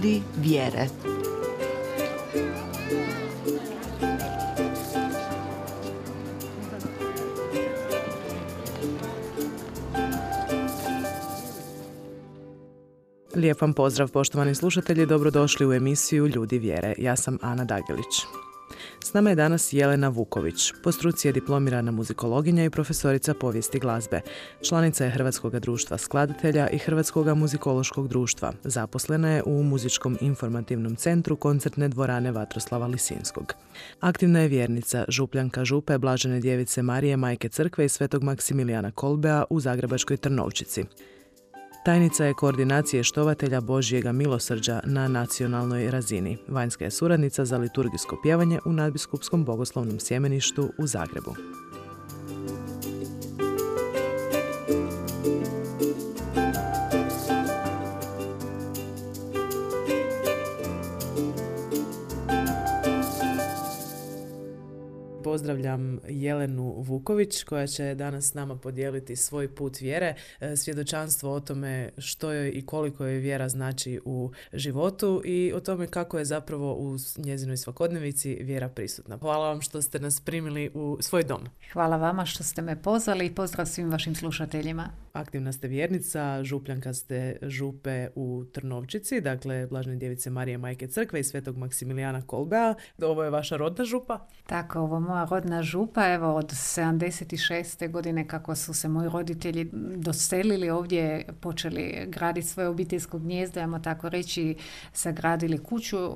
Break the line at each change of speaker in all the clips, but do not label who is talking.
Ljudi vjere.
Lijep vam pozdrav, poštovani slušatelji, dobrodošli u emisiju Ljudi vjere. Ja sam Ana Dagelić. S nama je danas Jelena Vuković. Po struci je diplomirana muzikologinja i profesorica povijesti glazbe. Članica je Hrvatskog društva skladatelja i Hrvatskog muzikološkog društva. Zaposlena je u Muzičkom informativnom centru koncertne dvorane Vatroslava Lisinskog. Aktivna je vjernica, župljanka župe Blažene djevice Marije, Majke crkve i Svetog Maksimilijana Kolbea u zagrebačkoj Trnovčici. Tajnica je koordinacije štovatelja Božjega milosrđa na nacionalnoj razini. Vanjska je suradnica za liturgijsko pjevanje u Nadbiskupskom bogoslovnom sjemeništu u Zagrebu. Pozdravljam Jelenu Vuković koja će danas s nama podijeliti svoj put vjere, svjedočanstvo o tome što joj i koliko joj vjera znači u životu i o tome kako je zapravo u njezinoj svakodnevici vjera prisutna. Hvala vam što ste nas primili u svoj dom.
Hvala vama što ste me pozvali i pozdrav svim vašim slušateljima.
Aktivna ste vjernica, župljanka ste župe u Trnovčici, dakle Blažene djevice Marije, Majke crkve i Svetog Maksimilijana Kolbea. Ovo je vaša rodna župa?
Tako, ovo moja rodna župa, evo od 76. godine kako su se moji roditelji doselili ovdje, počeli graditi svoje obiteljsko gnijezdo, ajmo tako reći, sagradili kuću.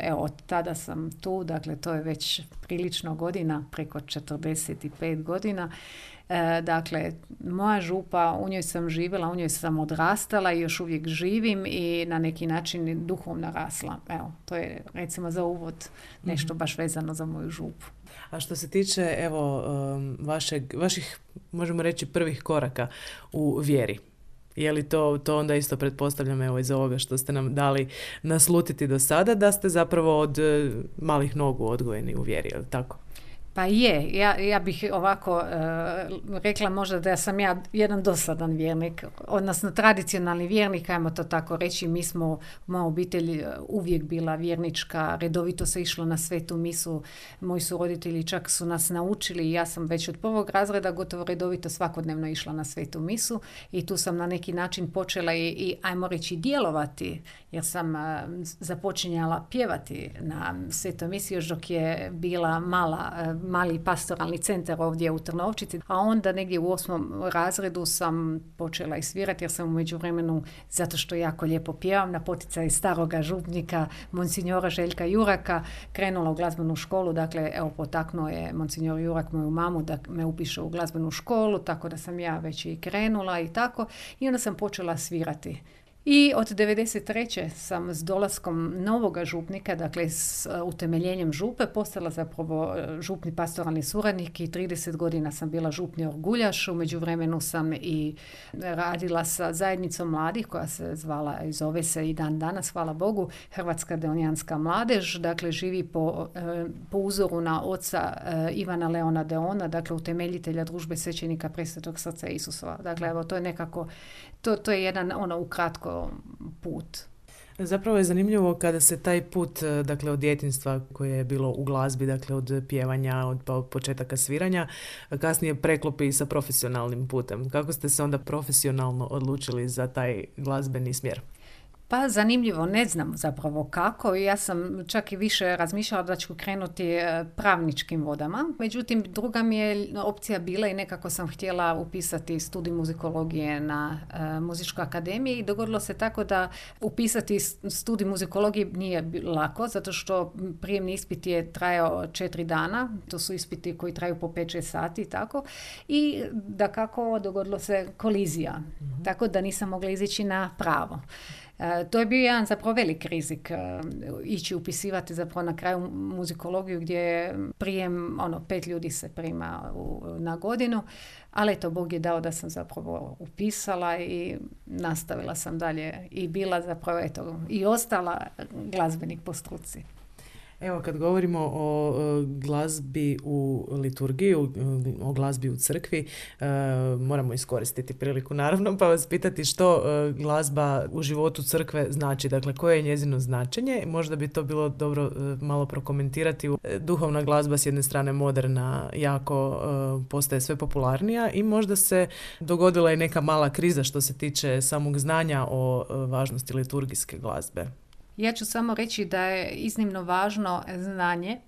Evo, od tada sam tu, dakle to je već prilično godina, preko 45 godina. Dakle, moja župa, u njoj sam živjela, u njoj sam odrastala i još uvijek živim i na neki način duhovno rasla. Evo, to je recimo za uvod nešto baš vezano za moju župu.
A što se tiče evo vaših, možemo reći, prvih koraka u vjeri, je li to onda isto pretpostavljam evo iz ovoga što ste nam dali naslutiti do sada, da ste zapravo od malih nogu odgojeni u vjeri, je li tako?
Pa je, ja bih ovako rekla možda da sam ja jedan dosadan vjernik, odnosno tradicionalni vjernik, ajmo to tako reći. Moja obitelj uvijek bila vjernička, redovito se išlo na svetu misu, moji su roditelji čak su nas naučili i ja sam već od prvog razreda gotovo redovito svakodnevno išla na svetu misu i tu sam na neki način počela i ajmo reći djelovati, jer sam započinjala pjevati na svetoj misi još dok je bila mali pastoralni centar ovdje u Trnovčici, a onda negdje u 8. razredu sam počela i svirati jer sam u međuvremenu, zato što jako lijepo pjevam, na poticaj staroga župnika monsinjora Željka Juraka krenula u glazbenu školu. Dakle, evo, potaknuo je monsinjor Jurak moju mamu da me upiše u glazbenu školu, tako da sam ja već i krenula i tako, i onda sam počela svirati. I od 1993. sam s dolaskom novoga župnika, dakle s utemeljenjem župe, postala zapravo župni pastoralni suradnik i 30 godina sam bila župni orguljaš. U međuvremenu sam i radila sa zajednicom mladih koja se zvala i zove se i dan danas, hvala Bogu, Hrvatska deonijanska mladež. Dakle, živi po uzoru na oca Ivana Leona Deona, dakle utemeljitelja družbe svećenika Presvetog srca Isusova. Dakle, evo, to je nekako, to je jedan ukratko put.
Zapravo je zanimljivo kada se taj put, dakle od djetinjstva koje je bilo u glazbi, dakle od pjevanja, od početaka sviranja, kasnije preklopi sa profesionalnim putem. Kako ste se onda profesionalno odlučili za taj glazbeni smjer?
Pa zanimljivo, ne znam zapravo kako. Ja sam čak i više razmišljala da ću krenuti pravničkim vodama. Međutim, druga mi je opcija bila i nekako sam htjela upisati studij muzikologije na Muzičkoj akademiji i dogodilo se tako da upisati studij muzikologije nije lako, zato što prijemni ispit je trajao 4 dana. To su ispiti koji traju po 5-6 sati i tako. I dakako dogodilo se kolizija. Tako da nisam mogla izići na pravo. To je bio jedan zapravo velik rizik ići upisivati zapravo na kraju muzikologiju gdje je prijem 5 ljudi se prima na godinu, ali eto, Bog je dao da sam zapravo upisala i nastavila sam dalje i bila zapravo i ostala glazbenik po struci.
Evo, kad govorimo o glazbi u liturgiji, o glazbi u crkvi, moramo iskoristiti priliku naravno pa vas pitati što glazba u životu crkve znači, dakle koje je njezino značenje. Možda bi to bilo dobro malo prokomentirati. Duhovna glazba s jedne strane moderna, jako postaje sve popularnija i možda se dogodila i neka mala kriza što se tiče samog znanja o važnosti liturgijske glazbe.
Ja ću samo reći da je iznimno važno znanje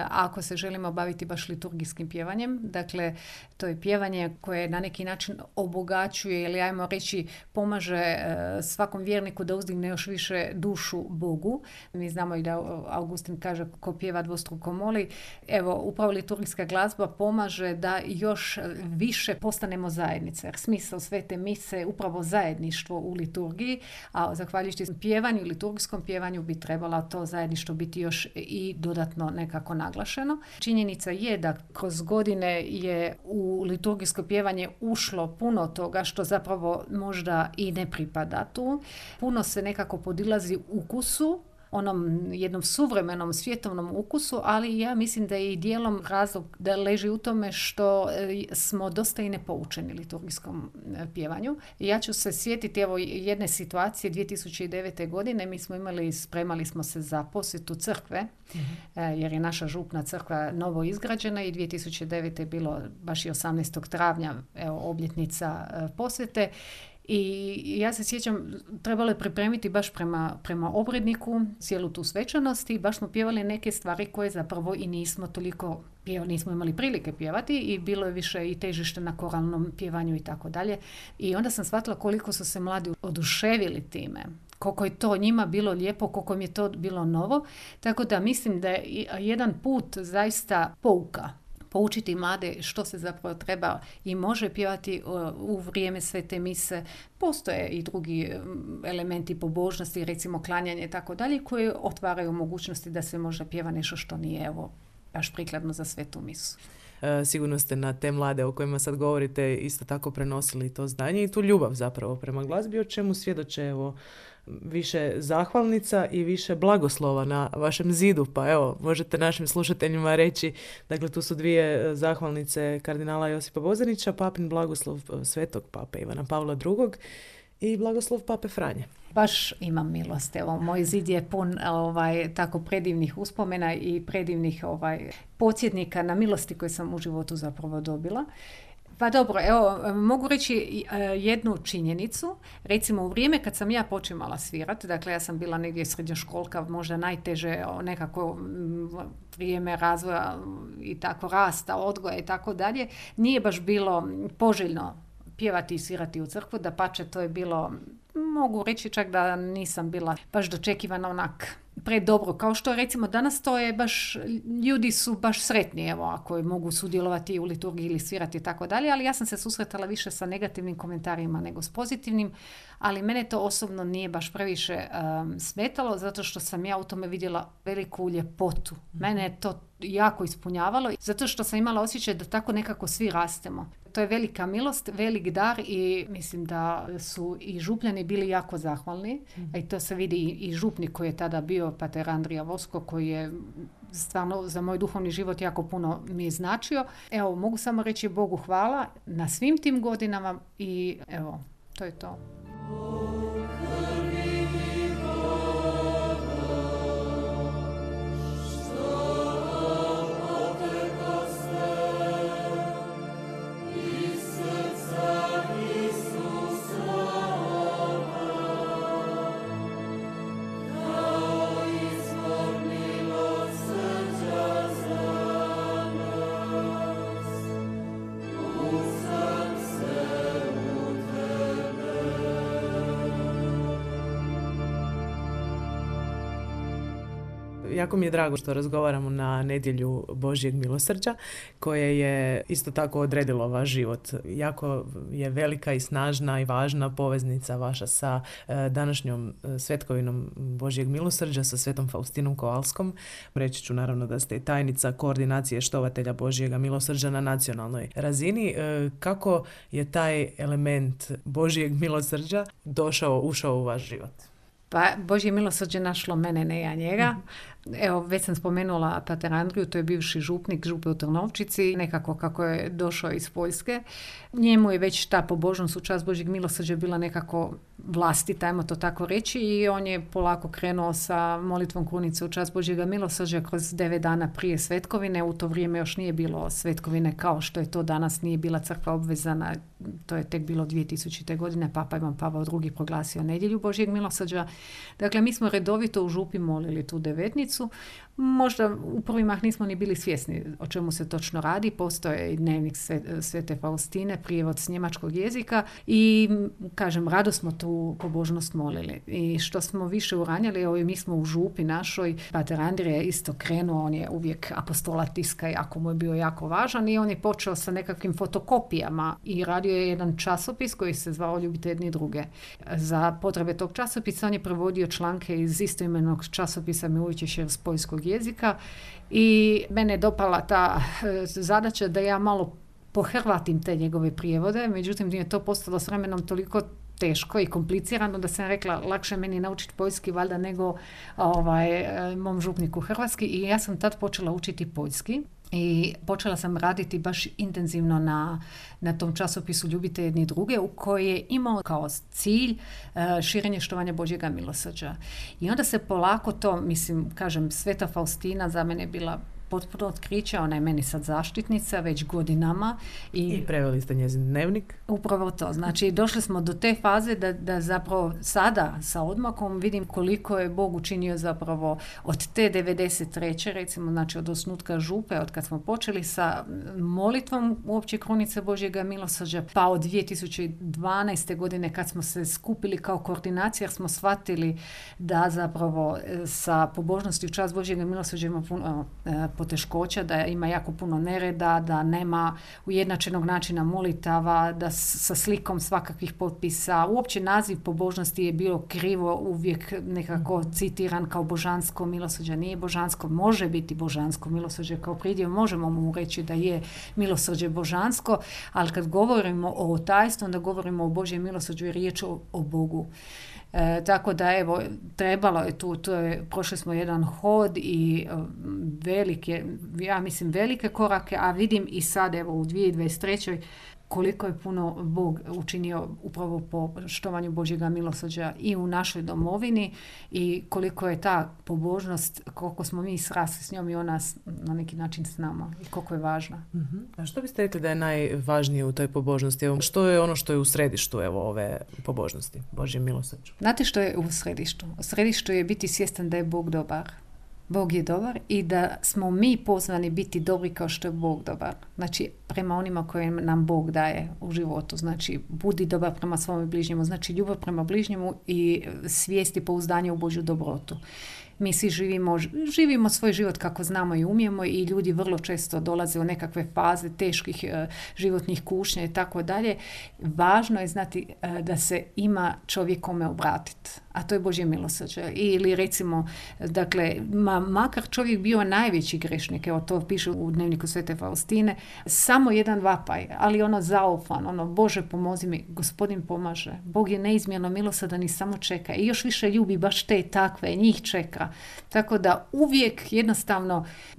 ako se želimo baviti baš liturgijskim pjevanjem. Dakle, to je pjevanje koje na neki način obogaćuje ili ajmo reći pomaže svakom vjerniku da uzdigne još više dušu Bogu. Mi znamo i da Augustin kaže ko pjeva dvostruko moli. Evo, upravo liturgijska glazba pomaže da još više postanemo zajednice. Smisao svete mise je upravo zajedništvo u liturgiji, a zahvaljujući pjevanju, liturgijskom pjevanju bi trebala to zajedništvo biti još i dodatno nekako naglašeno. Činjenica je da kroz godine je u liturgijsko pjevanje ušlo puno toga što zapravo možda i ne pripada tu. Puno se nekako podilazi ukusu, onom jednom suvremenom svjetovnom ukusu, ali ja mislim da je i dijelom razlog da leži u tome što smo dosta i nepoučeni liturgijskom pjevanju. Ja ću se sjetiti evo jedne situacije 2009. godine. Mi smo spremali smo se za posjetu crkve, jer je naša župna crkva novo izgrađena i 2009. je bilo baš i 18. travnja obljetnica posjete. I ja se sjećam, trebalo je pripremiti baš prema obredniku cijelu tu svečanost i baš smo pjevali neke stvari koje zapravo i nismo toliko nismo imali prilike pjevati i bilo je više i težište na koralnom pjevanju i tako dalje. I onda sam shvatila koliko su se mladi oduševili time, koliko je to njima bilo lijepo, koliko mi je to bilo novo. Tako da mislim da je jedan put zaista pouka. Poučiti mlade što se zapravo treba i može pjevati u vrijeme svete mise. Postoje i drugi elementi pobožnosti, recimo klanjanje i tako dalje, koji otvaraju mogućnosti da se možda pjeva nešto što nije baš prikladno za svetu misu.
Sigurno ste na te mlade o kojima sad govorite isto tako prenosili to znanje i tu ljubav zapravo prema glazbi, o čemu svjedoče više zahvalnica i više blagoslova na vašem zidu. Pa evo, možete našim slušateljima reći, dakle tu su dvije zahvalnice kardinala Josipa Bozanića, papin blagoslov svetog pape Ivana Pavla II. I blagoslov pape Franje.
Baš imam milost. Evo, moj zid je pun tako predivnih uspomena i predivnih podsjetnika na milosti koje sam u životu zapravo dobila. Pa dobro, evo, mogu reći jednu činjenicu. Recimo, u vrijeme kad sam ja počimala svirati, dakle ja sam bila negdje srednjoškolka, možda najteže nekako vrijeme razvoja i tako rasta, odgoja i tako dalje, nije baš bilo poželjno pjevati i svirati u crkvu, dapače to je bilo, mogu reći čak da nisam bila baš dočekivana onak predobro, kao što recimo danas to je baš, ljudi su baš sretni evo ako mogu sudjelovati u liturgiji ili svirati i tako dalje, ali ja sam se susretala više sa negativnim komentarima nego s pozitivnim, ali mene to osobno nije baš previše smetalo, zato što sam ja u tome vidjela veliku ljepotu. Mene je to jako ispunjavalo, zato što sam imala osjećaj da tako nekako svi rastemo. To je velika milost, velik dar i mislim da su i župljani bili jako zahvalni. I to se vidi i župnik koji je tada bio pater Andrija Vosko, koji je stvarno za moj duhovni život jako puno mi je značio. Evo, mogu samo reći Bogu hvala na svim tim godinama i evo, to je to.
Jako mi je drago što razgovaramo na nedjelju Božjeg milosrđa, koje je isto tako odredilo vaš život. Jako je velika i snažna i važna poveznica vaša sa današnjom svetkovinom Božjeg milosrđa, sa svetom Faustinom Kovalskom. Reći ću naravno da ste tajnica koordinacije štovatelja Božjega milosrđa na nacionalnoj razini. Kako je taj element Božjeg milosrđa ušao u vaš život?
Pa Božje milosrđe našlo mene, ne ja njega. Evo, već sam spomenula pater Andriju, to je bivši župnik župe u Trnovčici, nekako kako je došao iz Poljske. Njemu je već ta pobožnost u čast Božjeg milosrđa bila nekako vlastita, ajmo to tako reći, i on je polako krenuo sa molitvom krunice u čast Božjega milosrđa kroz 9 dana prije svetkovine. U to vrijeme još nije bilo svetkovine kao što je to danas, nije bila crkva obvezana, to je tek bilo 2000. godine, Papa Ivan Pavao II proglasio nedjelju Božjeg milosrđa. Dakle, mi smo redovito u župi molili tu devetnicu. Možda u prvi mah nismo ni bili svjesni o čemu se točno radi. Postoje i dnevnik Svete Faustine, prijevod s njemačkog jezika i, kažem, rado smo tu pobožnost molili. I što smo više uranjali, mi smo u župi našoj, pater Andrija je isto krenuo, on je uvijek apostola tiska, jako mu je bio jako važan i on je počeo sa nekakvim fotokopijama i radio je jedan časopis koji se zvao Ljubite jedni druge. Za potrebe tog časopisa on je prevodio članke iz istoimenog časopisa Milujićešer s poljskog jezika i mene je dopala ta zadaća da ja malo pohrvatim te njegove prijevode, međutim je to postalo s vremenom toliko teško i komplicirano da sam rekla lakše meni naučiti poljski valjda nego mom župniku hrvatski i ja sam tad počela učiti poljski. I počela sam raditi baš intenzivno na tom časopisu Ljubite jedni druge u koji je imao kao cilj širenje štovanja Božjega milosrđa. I onda se polako to, kažem, Sveta Faustina za mene je bila potpuno otkriće, ona je meni sad zaštitnica već godinama.
I preveli ste njezin dnevnik?
Upravo to. Znači, došli smo do te faze da zapravo sada sa odmakom vidim koliko je Bog učinio zapravo od te 93. recimo, znači od osnutka župe, od kad smo počeli sa molitvom uopće krunice Božjega milosrđa, pa od 2012. godine kad smo se skupili kao koordinacija, smo shvatili da zapravo sa pobožnosti u čast Božjega milosrđa ima puno poteškoća, da ima jako puno nereda, da nema ujednačenog načina molitava, da sa slikom svakakvih potpisa. Uopće naziv pobožnosti je bilo krivo, uvijek nekako citiran kao božansko milosrđe. Nije božansko, može biti božansko milosrđe kao pridjev, možemo mu reći da je milosrđe božansko, ali kad govorimo o tajstvu, onda govorimo o Božjem milosrđu i riječ o Bogu. Tako da evo, trebalo je tu, prošli smo jedan hod i velike korake, a vidim i sad evo u 2023. koliko je puno Bog učinio upravo po štovanju Božjega milosrđa i u našoj domovini i koliko je ta pobožnost, koliko smo mi srasli s njom i ona na neki način s nama i koliko je važna.
A što biste rekli da je najvažnije u toj pobožnosti? Što je ono što je u središtu ove pobožnosti, Božje milosrđu?
Znate što je u središtu? U središtu je biti svjestan da je Bog dobar. Bog je dobar i da smo mi pozvani biti dobri kao što je Bog dobar. Znači, prema onima koje nam Bog daje u životu. Znači, budi dobar prema svome bližnjemu. Znači, ljubav prema bližnjemu i svijest i pouzdanje u Božju dobrotu. Mi svi živimo svoj život kako znamo i umijemo i ljudi vrlo često dolaze u nekakve faze teških životnih kušnja i tako dalje. Važno je znati da se ima čovjek kome obratiti, a to je Božje milosrđe. Ili recimo, dakle, makar čovjek bio najveći grešnik, evo to piše u dnevniku Svete Faustine, samo jedan vapaj, ali ono zaufan, Bože pomozi mi, Gospodin pomaže. Bog je neizmjerno milosrdan i samo čeka i još više ljubi baš te takve, njih čeka. Tako da uvijek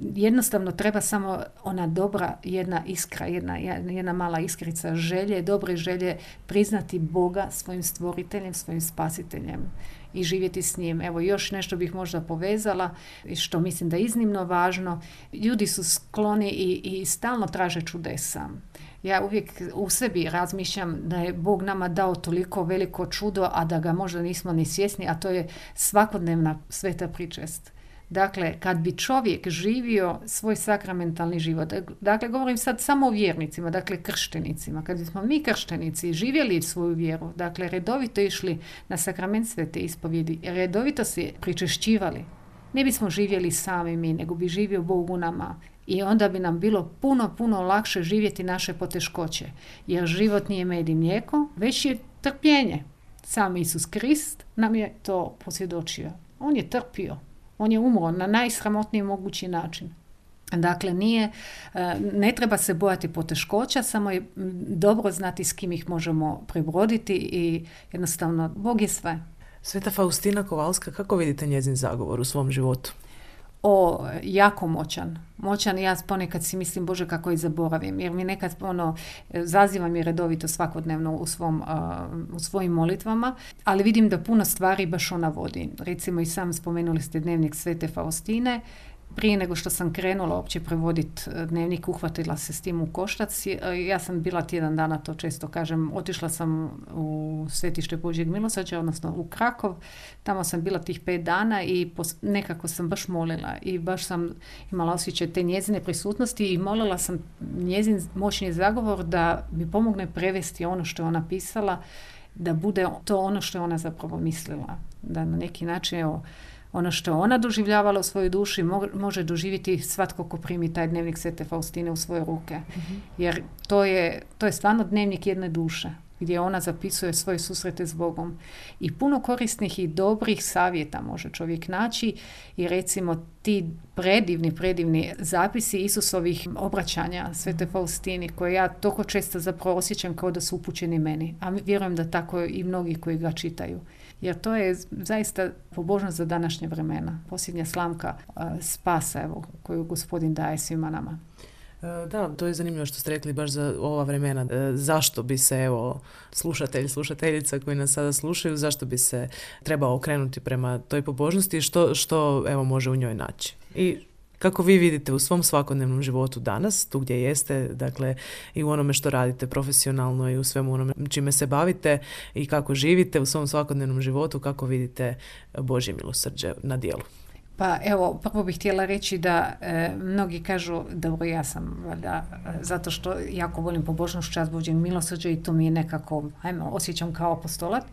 jednostavno treba samo ona dobra jedna iskra, jedna mala iskrica želje, dobre želje priznati Boga svojim stvoriteljem, svojim spasiteljem i živjeti s njim. Evo još nešto bih možda povezala, što mislim da je iznimno važno. Ljudi su skloni i stalno traže čudesa. Ja uvijek u sebi razmišljam da je Bog nama dao toliko veliko čudo, a da ga možda nismo ni svjesni, a to je svakodnevna sveta pričest. Dakle, kad bi čovjek živio svoj sakramentalni život, dakle, govorim sad samo o vjernicima, dakle, krštenicima, kad bismo mi krštenici živjeli svoju vjeru, dakle, redovito išli na sakrament svete ispovjedi, redovito se pričešćivali, ne bismo živjeli sami mi, nego bi živio Bog u nama. I onda bi nam bilo puno lakše živjeti naše poteškoće. Jer život nije med i mlijeko, već je trpljenje. Sam Isus Krist nam je to posvjedočio. On je trpio. On je umro na najsramotniji mogući način. Dakle, ne treba se bojati poteškoća, samo je dobro znati s kim ih možemo prebroditi i jednostavno Bog je sve.
Sveta Faustina Kowalska, kako vidite njezin zagovor u svom životu?
jako moćan. Ja ponekad si mislim, Bože, kako i zaboravim, jer mi nekad zazivam je redovito svakodnevno u svojim molitvama, ali vidim da puno stvari baš ona vodi. Recimo i sam spomenuli ste dnevnik Svete Faustine. Prije nego što sam krenula uopće prevoditi dnevnik, uhvatila se s tim u koštac. Ja sam bila tjedan dana, to često kažem, otišla sam u Svetište Božjeg milosrđa, odnosno u Krakov. Tamo sam bila tih 5 dana i nekako sam baš molila i baš sam imala osjećaj te njezine prisutnosti i molila sam njezin moćni zagovor da mi pomogne prevesti ono što je ona pisala, da bude to ono što je ona zapravo mislila. Da na neki način, evo, ono što je ona doživljavala u svojoj duši može doživjeti svatko ko primi taj dnevnik Svete Faustine u svoje ruke. Mm-hmm. Jer to je stvarno dnevnik jedne duše gdje ona zapisuje svoje susrete s Bogom. I puno korisnih i dobrih savjeta može čovjek naći i recimo ti predivni zapisi Isusovih obraćanja Svete Faustini koje ja toliko često zapravo osjećam kao da su upućeni meni. A vjerujem da tako i mnogi koji ga čitaju. Jer to je zaista pobožnost za današnje vremena. Posljednja slamka spasa, evo, koju Gospodin daje svima nama.
Da, to je zanimljivo što ste rekli baš za ova vremena. Zašto bi se, evo, slušateljica koji nas sada slušaju, zašto bi se trebao okrenuti prema toj pobožnosti i što evo, može u njoj naći? I kako vi vidite u svom svakodnevnom životu danas, tu gdje jeste, dakle i u onome što radite profesionalno i u svemu onome čime se bavite i kako živite u svom svakodnevnom životu, kako vidite Božje milosrđe na djelu?
Pa evo, prvo bih htjela reći da mnogi kažu, dobro, ja sam valjda, zato što jako volim pobožnost, čast Božjeg milosrđa i to mi je nekako, osjećam kao apostolat,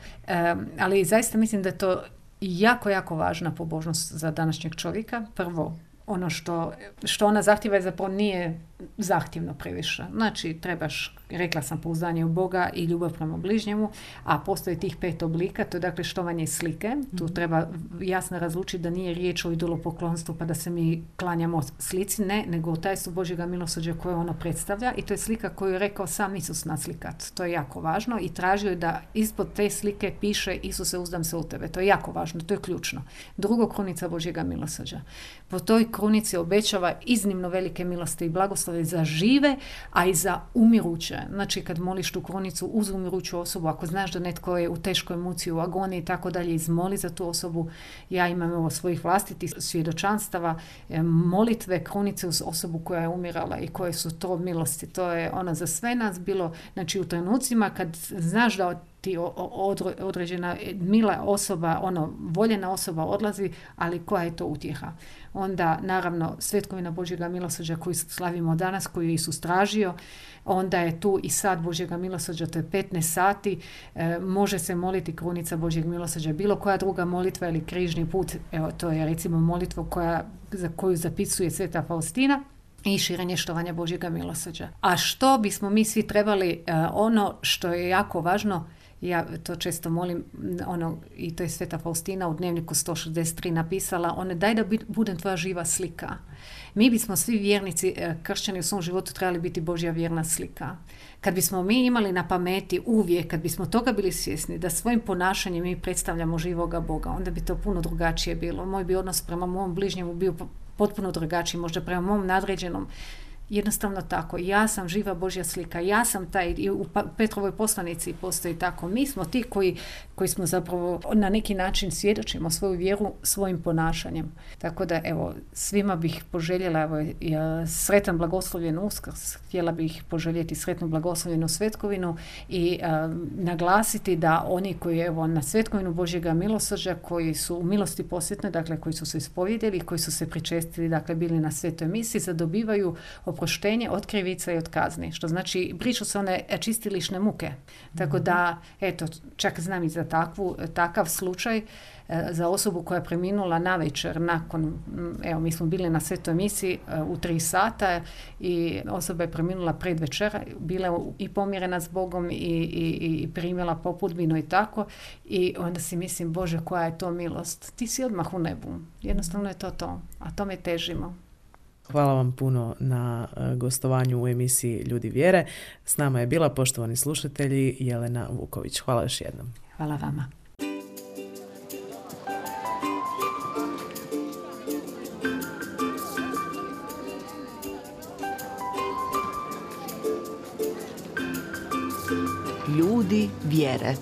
ali zaista mislim da je to jako, jako važna pobožnost za današnjeg čovjeka. Prvo, ono što ona zahtjeva je zapravo nije zahtjevno previše. Znači, trebaš, rekla sam, pouzdanje u Boga i ljubav prema bližnjemu, a postoji tih 5 oblika, to je dakle štovanje slike. Tu treba jasno razlučiti da nije riječ o idolopoklonstvu pa da se mi klanjamo slici, ne, nego tajstvo Božjega milosrđa koje ono predstavlja i to je slika koju je rekao sam Isus naslikat. To je jako važno i tražio je da ispod te slike piše Isuse, uzdam se u tebe. To je jako važno, to je ključno. Drugo, krunica Božjega milosrđa. Po toj krunici obećava iznimno velike milosti i blagoslove za žive, a i za umiruće. Znači, kad moliš tu krunicu uz umiruću osobu, ako znaš da netko je u teškoj muci, u agoniji i tako dalje, izmoli za tu osobu. Ja imam ovo svojih vlastitih svjedočanstava, molitve krunice uz osobu koja je umirala i koje su to milosti. To je ono za sve nas bilo, znači u trenucima kad znaš da ti određena mila osoba, voljena osoba odlazi, ali koja je to utjeha? Onda, naravno, svetkovina Božjega milosrđa koju slavimo danas, koju je Isus tražio, onda je tu i sat Božjega milosrđa, to je 15 sati, može se moliti krunica Božjeg milosrđa, bilo koja druga molitva ili križni put, evo, to je recimo molitva za koju zapisuje Sveta Faustina, i širenje štovanja Božjega milosrđa. A što bismo mi svi trebali, ono što je jako važno, ja to često molim, i to je Sveta Faustina u dnevniku 163 napisala, daj da budem tvoja živa slika. Mi bismo svi vjernici, kršćani u svom životu trebali biti Božja vjerna slika. Kad bismo mi imali na pameti uvijek, kad bismo toga bili svjesni da svojim ponašanjem mi predstavljamo živoga Boga, onda bi to puno drugačije bilo. Moj bi odnos prema mom bližnjemu bio potpuno drugačiji, možda prema mom nadređenom. Jednostavno tako. Ja sam živa Božja slika. Ja sam taj, i u Petrovoj poslanici postoji tako. Mi smo ti koji smo zapravo na neki način svjedočimo svoju vjeru svojim ponašanjem. Tako da, evo, svima bih poželjela sretan blagoslovljen Uskrs. Htjela bih poželjeti sretnu blagoslovljenu svetkovinu i naglasiti da oni koji, evo, na svetkovinu Božjega milosrđa, koji su u milosti posvetnoj, dakle, koji su se ispovjedili, koji su se pričestili, dakle, bili na svetoj misi, zadobivaju oproštenje od krivica i od kazni, što znači brišu se one čistilišne muke. Tako da, eto, čak znam i za takav slučaj, za osobu koja je preminula navečer nakon, evo, mi smo bili na svetoj misi u 3 sata i osoba je preminula pred večera, bila i pomirena s Bogom i primjela popudbinu i tako, i onda si mislim, Bože, koja je to milost. Ti si odmah u nebu. Jednostavno je to, a tome težimo.
Hvala vam puno na gostovanju u emisiji Ljudi vjere. S nama je bila, poštovani slušatelji, Jelena Vuković. Hvala još jednom.
Hvala vama.
Ljudi vjere.